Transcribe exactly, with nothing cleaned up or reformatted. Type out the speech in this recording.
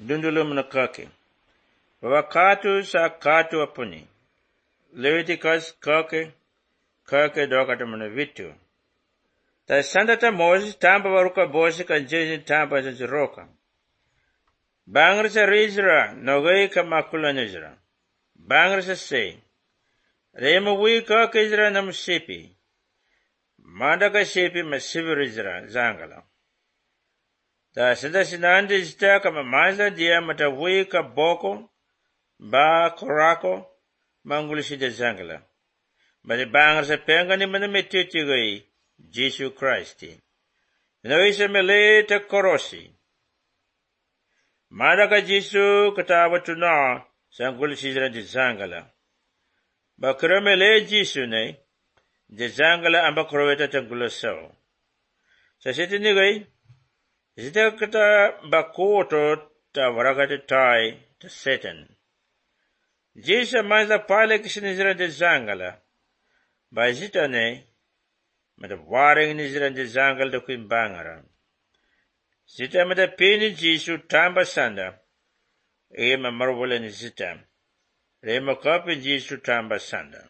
Dundulum na kake. Wakatu sa katu apuni. Leviticus kake, kake dokata mana vitu. Ta sandata Moses tamba waruka bosi kan jeji tamba zaziroka. Bangrisa rizra nogai ka makula nizra. Bangrisa say. Rema wi kake izra nam sipi. Mandaka sipi masivi rizra zangala. Ta sanda sinandi zita kama mazla dia mata wi ka boko. Ba korako mangulisi de zangala. Bani bangrisa penga ni mana metiti gai. Jesus Christ. Noisa mele ta korosi. Madaka Jesu katawa tuna sangul sizra de zangala. Bakra mele Jesu ne de zangala amba kroweta tangula so. Sa siti ni gai zita kata bakoto ta waragata tai ta Satan. Jesu mazla pale kishinizra de zangala. Ba zita ne mata waring nizra de zangal da kuin bangara. Zita mata pini Jesu tamba sanda. Ema marwala ni zita. Rema kapi Jesu tamba sanda.